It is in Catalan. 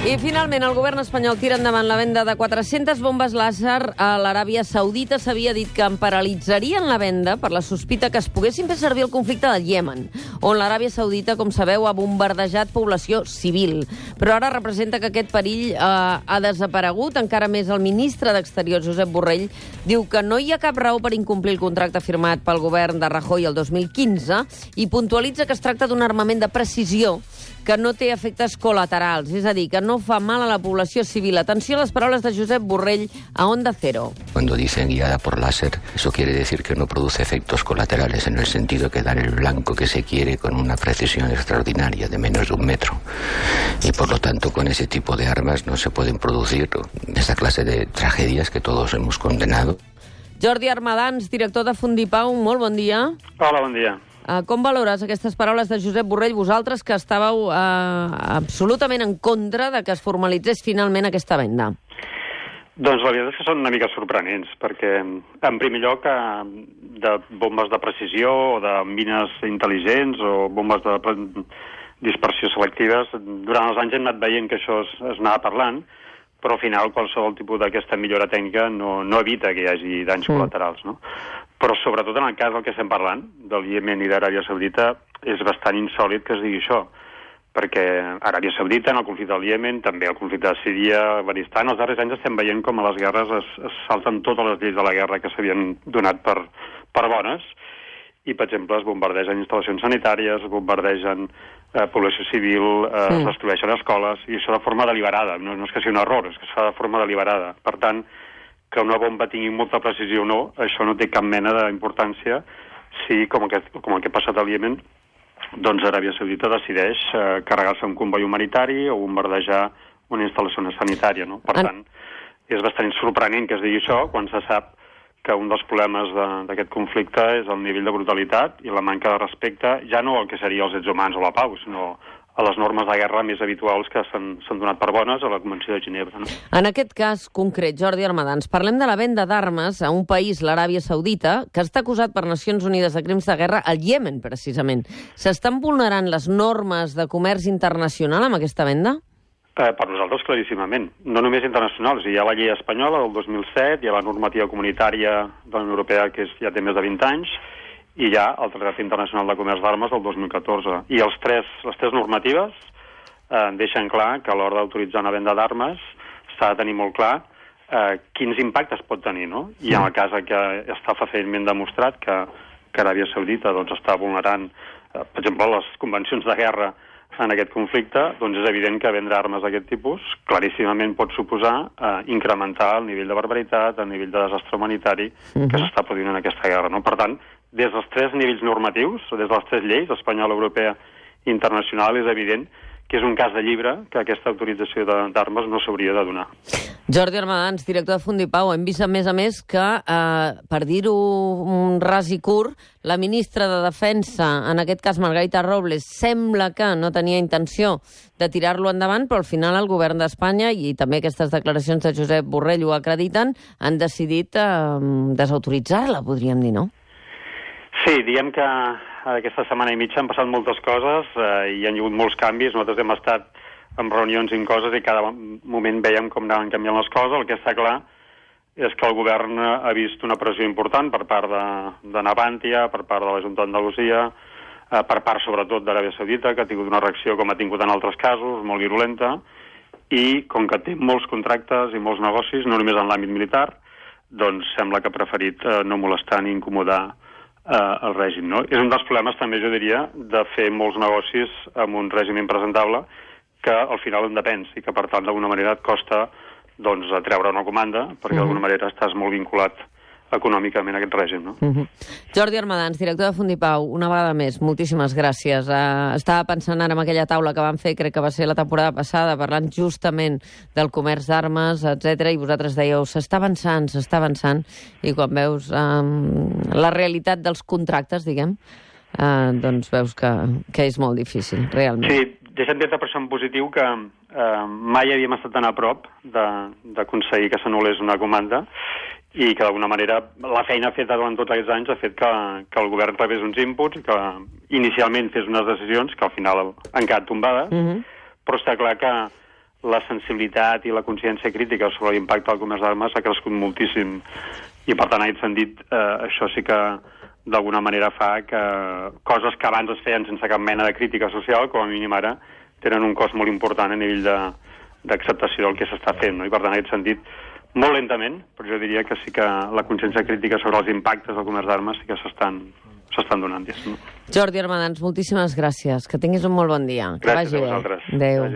I finalment el govern espanyol tira endavant la venda de 400 bombes làser a l'Aràbia Saudita. S'havia dit que en paralitzarien la venda per la sospita que es poguessin fer servir el conflicte del Iemen, on l'Aràbia Saudita, com sabeu, ha bombardejat població civil. Però ara representa que aquest perill ha desaparegut. Encara més, el ministre d'Exteriors, Josep Borrell, diu que no hi ha cap raó per incomplir el contracte firmat pel govern de Rajoy el 2015 i puntualitza que es tracta d'un armament de precisió que no té efectes col·laterals, és a dir, que no fa mal a la població civil. Atenció a les paraules de Josep Borrell a Onda Cero. Cuando dicen guiada por láser, eso quiere decir que no produce efectos colaterales, en el sentido que dar el blanco que se quiere con una precisión extraordinaria de menos de 1 metro. Y por lo tanto, con ese tipo de armas no se pueden producir esa clase de tragedias que todos hemos condenado. Jordi Armadans, director de Fundipau, molt bon dia. Hola, bon dia. Com valores aquestes paraules de Josep Borrell, vosaltres que estàveu absolutament en contra de que es formalitzés finalment aquesta venda? Doncs la veritat és que són una mica sorprenents, perquè, en primer lloc, de bombes de precisió o de mines intel·ligents o bombes de dispersió selectives, durant els anys hem anat veient que això es anava parlant, però al final qualsevol tipus d'aquesta millora tècnica no evita que hi hagi danys col·laterals, no? Però sobretot en el cas del que estem parlant, del Iemen i d'Aràbia Saudita, és bastant insòlid que es digui això, perquè Aràbia Saudita, en el conflicte del Iemen, també el conflicte de Síria, Afganistan, els darrers anys estem veient com a les guerres es salten totes les lleis de la guerra que s'havien donat per bones, i, per exemple, es bombardegen instal·lacions sanitàries, es bombardegen població civil, es destrueixen escoles, i això de forma deliberada. No és que sigui un error, és que es fa de forma deliberada. Per tant, que una bomba tingui molta precisió o no, això no té cap mena d'importància si, com el que ha passat al Iemen, doncs Aràbia Saudita decideix carregar-se un comboi humanitari o bombardejar una instal·lació sanitària, no? Per tant, és bastant sorprenent que es digui això quan se sap que un dels problemes d'aquest conflicte és el nivell de brutalitat i la manca de respecte, ja no al que seria els drets humans o la pau, sinó a les normes de guerra més habituals que s'han donat per bones a la Convenció de Ginebra. No? En aquest cas concret, Jordi Armadans, parlem de la venda d'armes a un país, l'Aràbia Saudita, que està acusat per Nacions Unides de crims de guerra al Iemen, precisament. S'estan vulnerant les normes de comerç internacional amb aquesta venda? Per nosaltres, claríssimament. No només internacionals. Hi ha la llei espanyola del 2007, hi ha la normativa comunitària de la Unió Europea que ja té més de 20 anys, i hi ha el Tractat Internacional de Comerç d'Armes del 2014. I les tres normatives deixen clar que a l'hora d'autoritzar una venda d'armes s'ha de tenir molt clar quins impactes pot tenir, no? I en el cas que està fàcilment demostrat que Aràbia Saudita doncs, està vulnerant, per exemple, les convencions de guerra en aquest conflicte, doncs és evident que vendre armes d'aquest tipus claríssimament pot suposar incrementar el nivell de barbaritat, el nivell de desastre humanitari que s'està produint en aquesta guerra, no? Per tant, des dels 3 nivells normatius, des de les 3 lleis, espanyola, europea i internacional, és evident que és un cas de llibre que aquesta autorització d'armes no s'hauria de donar. Jordi Armadans, director de Fundipau, hem vist, a més, que, per dir-ho ras i curt, la ministra de Defensa, en aquest cas Margarita Robles, sembla que no tenia intenció de tirar-lo endavant, però al final el govern d'Espanya, i també aquestes declaracions de Josep Borrell ho acrediten, han decidit desautoritzar-la, podríem dir, no? Sí, diguem que aquesta setmana i mitja han passat moltes coses i hi ha hagut molts canvis. Nosaltres hem estat en reunions i en coses i cada moment veiem com anaven canviant les coses. El que està clar és que el govern ha vist una pressió important per part de Navantia, per part de la Junta d'Andalusia, per part sobretot d'Aràbia Saudita, que ha tingut una reacció com ha tingut en altres casos, molt virulenta, i com que té molts contractes i molts negocis, no només en l'àmbit militar, doncs sembla que ha preferit no molestar ni incomodar el règim, no? És un dels problemes, també, jo diria, de fer molts negocis amb un règim impresentable que al final en depens i que, per tant, d'alguna manera et costa doncs, treure una comanda perquè d'alguna manera estàs molt vinculat econòmicament a aquest règim, no? Jordi Armadans, director de Fundipau, una vegada més, moltíssimes gràcies. Estava pensant ara en aquella taula que vam fer, crec que va ser la temporada passada, parlant justament del comerç d'armes, etc. I vosaltres dèieu, s'està avançant, i quan veus la realitat dels contractes, diguem, doncs veus que és molt difícil, realment. Sí, deixa'm dir-te per això en positiu que mai havíem estat tan a prop d'aconseguir que s'anul·lés una comanda i que d'alguna manera la feina feta durant tots aquests anys ha fet que el govern rebés uns inputs i que inicialment fes unes decisions que al final han quedat tombades, però està clar que la sensibilitat i la consciència crítica sobre l'impacte del comerç d'armes ha crescut moltíssim. I, per tant, en aquest sentit, això sí que d'alguna manera fa que coses que abans es feien sense cap mena de crítica social, com a mínim ara, tenen un cost molt important a nivell d'acceptació del que s'està fent, no? I, per tant, en aquest sentit, molt lentament, però jo diria que sí que la consciència crítica sobre els impactes del comerç d'armes sí que s'estan donant. Jordi Armadans, moltíssimes gràcies. Que tinguis un molt bon dia. Gràcies a vosaltres. Adéu.